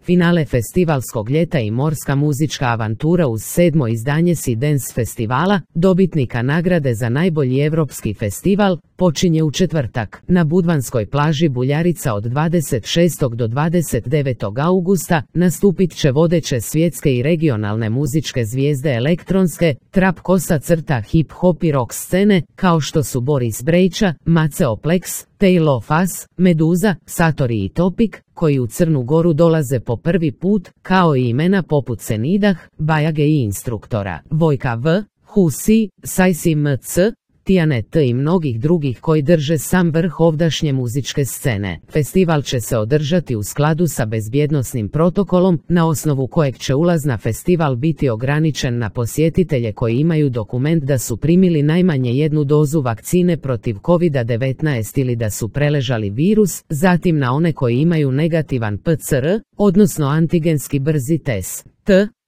finale festivalskog ljeta i morska muzička avantura uz 7. izdanje Sea Dance festivala, dobitnika nagrade za najbolji europski festival, počinje u četvrtak. Na budvanskoj plaži Buljarica od 26. do 29. augusta nastupit će vodeće svjetske i regionalne muzičke zvijezde elektronske, trap kosa crta hip hop i rock scene, kao što su Boris Brejča, Maceo Plex, Tale of Us, Meduza, Satori i Topic, koji u Crnu Goru dolaze po prvi put, kao i imena poput Senidah, Bajage i Instruktora, Vojka V, Husi, Sajsi MC, Tijane T i mnogih drugih koji drže sam vrh ovdašnje muzičke scene. Festival će se održati u skladu sa bezbjednosnim protokolom, na osnovu kojeg će ulaz na festival biti ograničen na posjetitelje koji imaju dokument da su primili najmanje jednu dozu vakcine protiv COVID-19 ili da su preležali virus, zatim na one koji imaju negativan PCR, odnosno antigenski brzi test.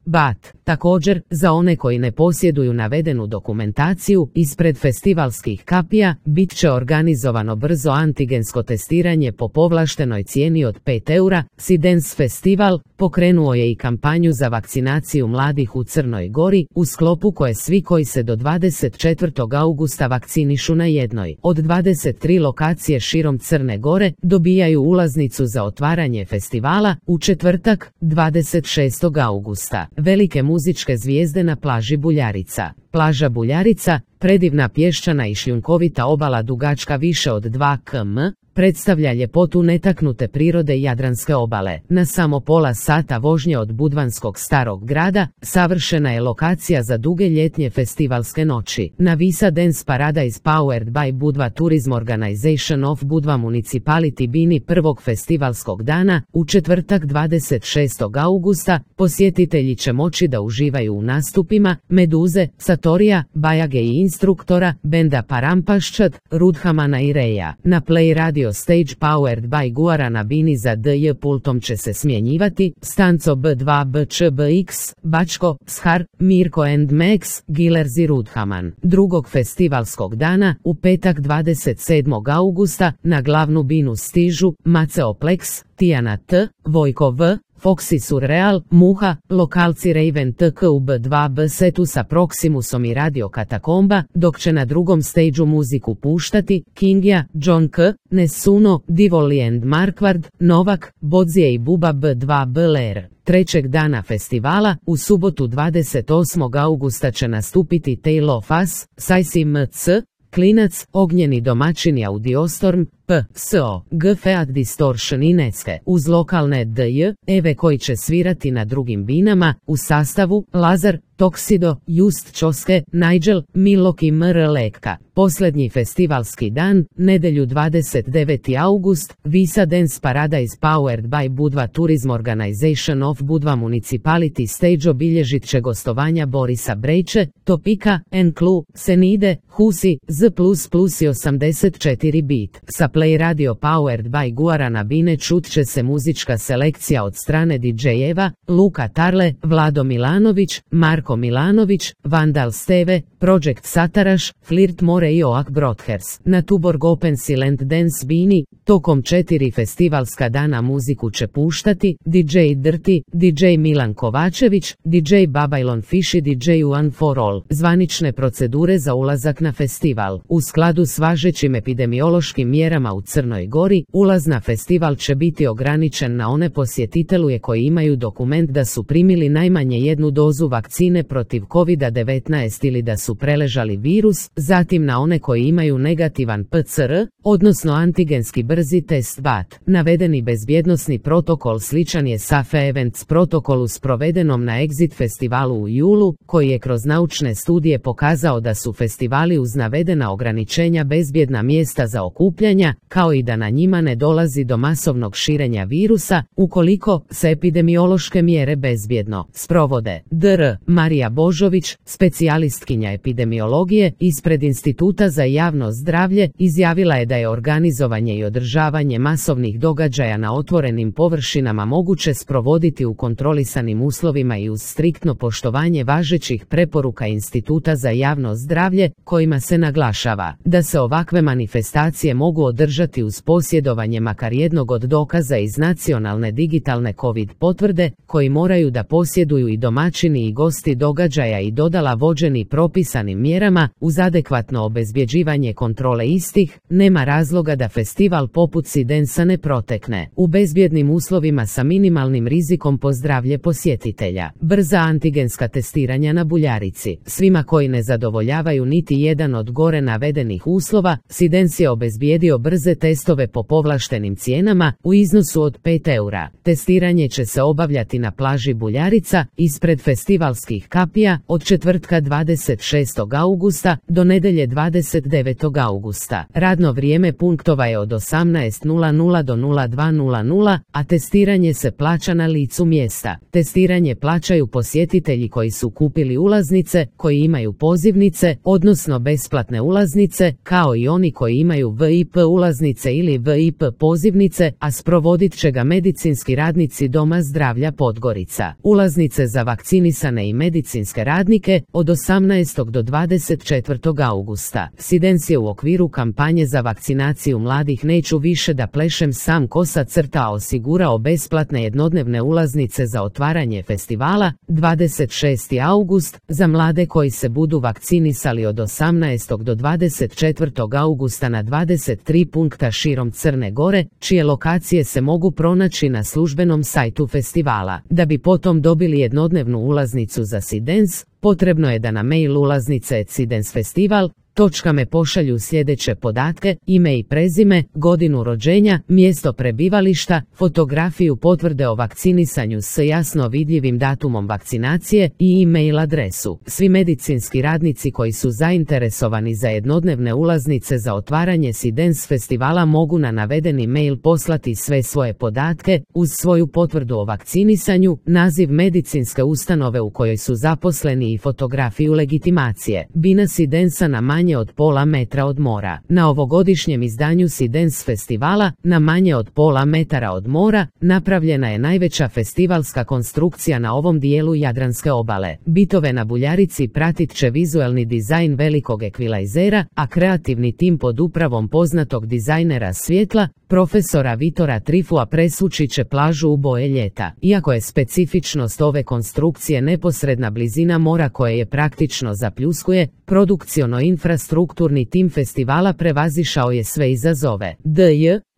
BAT. Također, za one koji ne posjeduju navedenu dokumentaciju, ispred festivalskih kapija, bit će organizovano brzo antigensko testiranje po povlaštenoj cijeni od 5 eura. Sea Dance Festival pokrenuo je i kampanju za vakcinaciju mladih u Crnoj Gori, u sklopu koje svi koji se do 24. augusta vakcinišu na jednoj od 23 lokacije širom Crne Gore, dobijaju ulaznicu za otvaranje festivala u četvrtak, 26. augusta. Velike muzičke zvijezde na plaži Buljarica. Plaža Buljarica, predivna pješčana i šljunkovita obala dugačka više od 2 km, predstavlja ljepotu netaknute prirode Jadranske obale. Na samo pola sata vožnje od budvanskog starog grada, savršena je lokacija za duge ljetnje festivalske noći. Na Visa Dance Paradise Powered by Budva Tourism Organization of Budva Municipality bini prvog festivalskog dana, u četvrtak 26. augusta, posjetitelji će moći da uživaju u nastupima Meduze, Satorija, Bajage i Instruktora, benda Parampaščat, Rudhamana i Reja. Na Play Radio Stage Powered by Guarana bini za DJ pultom će se smjenjivati Stanco B2 BČBX, Bačko, Shar, Mirko and Max, Gillers i Rudhaman. Drugog festivalskog dana, u petak 27. augusta, na glavnu binu stižu Maceo Plex, Tijana T, Vojko V, Foxy Surreal, Muha, lokalci Raven TK u B2B setu sa Proximusom i Radio Katakomba, dok će na drugom stageu muziku puštati Kingja, John K, Nesuno, Divoli and Marquard, Novak, Bodzije i Buba B2B Lair. Trećeg dana festivala, u subotu 28. augusta će nastupiti Tale of Us, Sajsi MC, Klinac, Ognjeni domaćini Audiostorm, PSO, GFEAT Distortion i Necke, uz lokalne DJ, Eve koji će svirati na drugim binama, u sastavu Lazar, Toksido, Just Čoske, Nigel, Milok i MR Lekka. Posljednji festivalski dan, nedjelju 29. august, Visa Dance Paradise Powered by Budva Tourism Organization of Budva Municipality Stage obilježit će gostovanja Borisa Brejče, Topika, Enklu, Senide, Husi, Z++ i 84 bit. Sa Play Radio Powered by Guarana bine čut će se muzička selekcija od strane DJ-eva, Luka Tarle, Vlado Milanović, Marko Milanović, Vandal Steve, Project Sataraš, Flirt More i Oak Brothers. Na Tuborg Open Silent Dance bini, tokom 4 festivalska dana muziku će puštati DJ Dirty, DJ Milan Kovačević, DJ Babylon Fish i DJ One for All. Zvanične procedure za ulazak na festival. U skladu s važećim epidemiološkim mjerama u Crnoj Gori, ulaz na festival će biti ograničen na one posjetitelje koji imaju dokument da su primili najmanje jednu dozu vakcine protiv COVID-19 ili da su preležali virus, zatim na one koji imaju negativan PCR, odnosno antigenski brzi test BAT. Navedeni bezbjednosni protokol sličan je SAFE Events protokolu sprovedenom na Exit festivalu u julu, koji je kroz naučne studije pokazao da su festivali uz navedena ograničenja bezbjedna mjesta za okupljanja, kao i da na njima ne dolazi do masovnog širenja virusa, ukoliko se epidemiološke mjere bezbjedno sprovode. Dr. Marija Božović, specijalistkinja epidemiologije ispred Instituta za javno zdravlje, izjavila je da je organizovanje i održavanje masovnih događaja na otvorenim površinama moguće sprovoditi u kontrolisanim uslovima i uz striktno poštovanje važećih preporuka Instituta za javno zdravlje, kojima se naglašava da se ovakve manifestacije mogu održati podržati uz posjedovanje makar jednog od dokaza iz nacionalne digitalne COVID potvrde, koji moraju da posjeduju i domaćini i gosti događaja i dodala vođeni propisanim mjerama, uz adekvatno obezbjeđivanje kontrole istih, nema razloga da festival poput SeeDance ne protekne u bezbjednim uslovima sa minimalnim rizikom po zdravlje posjetitelja. Brza antigenska testiranja na Buljarici. Svima koji ne zadovoljavaju niti jedan od gore navedenih uslova, SeeDance je obezbijedio brze testove po povlaštenim cijenama u iznosu od 5 eura. Testiranje će se obavljati na plaži Buljarica, ispred festivalskih kapija, od četvrtka 26. augusta do nedjelje 29. augusta. Radno vrijeme punktova je od 18:00 do 02:00, a testiranje se plaća na licu mjesta. Testiranje plaćaju posjetitelji koji su kupili ulaznice, koji imaju pozivnice, odnosno besplatne ulaznice, kao i oni koji imaju VIP ulaznice ili VIP pozivnice, a sprovodit će ga medicinski radnici Doma zdravlja Podgorica. Ulaznice za vakcinisane i medicinske radnike od 18. do 24. augusta. SeeDance je u okviru kampanje za vakcinaciju mladih Neću više da plešem sam kosa crta osigurao besplatne jednodnevne ulaznice za otvaranje festivala 26. august za mlade koji se budu vakcinisali od 18. do 24. augusta na 23 punkta širom Crne Gore, čije lokacije se mogu pronaći na službenom sajtu festivala. Da bi potom dobili jednodnevnu ulaznicu za SeeDance, potrebno je da na mail ulaznice@seedancefestival.me pošalju sljedeće podatke: ime i prezime, godinu rođenja, mjesto prebivališta, fotografiju potvrde o vakcinisanju s jasno vidljivim datumom vakcinacije i e-mail adresu. Svi medicinski radnici koji su zainteresovani za jednodnevne ulaznice za otvaranje SeeDance festivala mogu na navedeni mail poslati sve svoje podatke, uz svoju potvrdu o vakcinisanju, naziv medicinske ustanove u kojoj su zaposleni i fotografiju legitimacije. Bina SeeDance na manje od pola metra od mora. Na ovogodišnjem izdanju SeeDance festivala, na manje od pola metara od mora, napravljena je najveća festivalska konstrukcija na ovom dijelu Jadranske obale. Bitove na Buljarici pratit će vizualni dizajn velikog ekvilajzera, a kreativni tim pod upravom poznatog dizajnera svjetla, profesora Vitora Trifua presvući će plažu u boje ljeta. Iako je specifičnost ove konstrukcije neposredna blizina mora koje je praktično zapljuskuje, produkciono-infrastrukturni tim festivala prevazišao je sve izazove.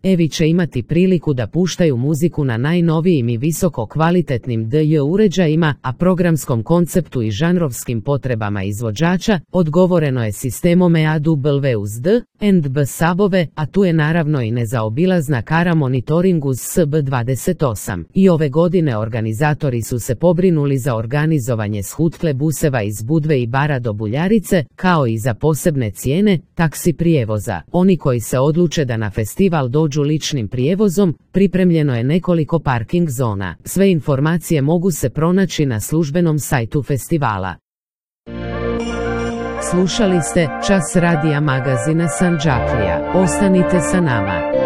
Evi će imati priliku da puštaju muziku na najnovijim i visoko kvalitetnim DJ uređajima, a programskom konceptu i žanrovskim potrebama izvođača odgovoreno je sistemom EAW uz D&B sabove, a tu je naravno i nezaobilazna kara monitoring uz SB28. I ove godine organizatori su se pobrinuli za organizovanje shutle buseva iz Budve i Bara do Buljarice, kao i za posebne cijene taksi prijevoza. Oni koji se odluče da na festival dođu ličnim prijevozom, pripremljeno je nekoliko parking zona. Sve informacije mogu se pronaći na službenom sajtu festivala. Slušali ste Čas radija magazina Sandžaklija. Ostanite sa nama.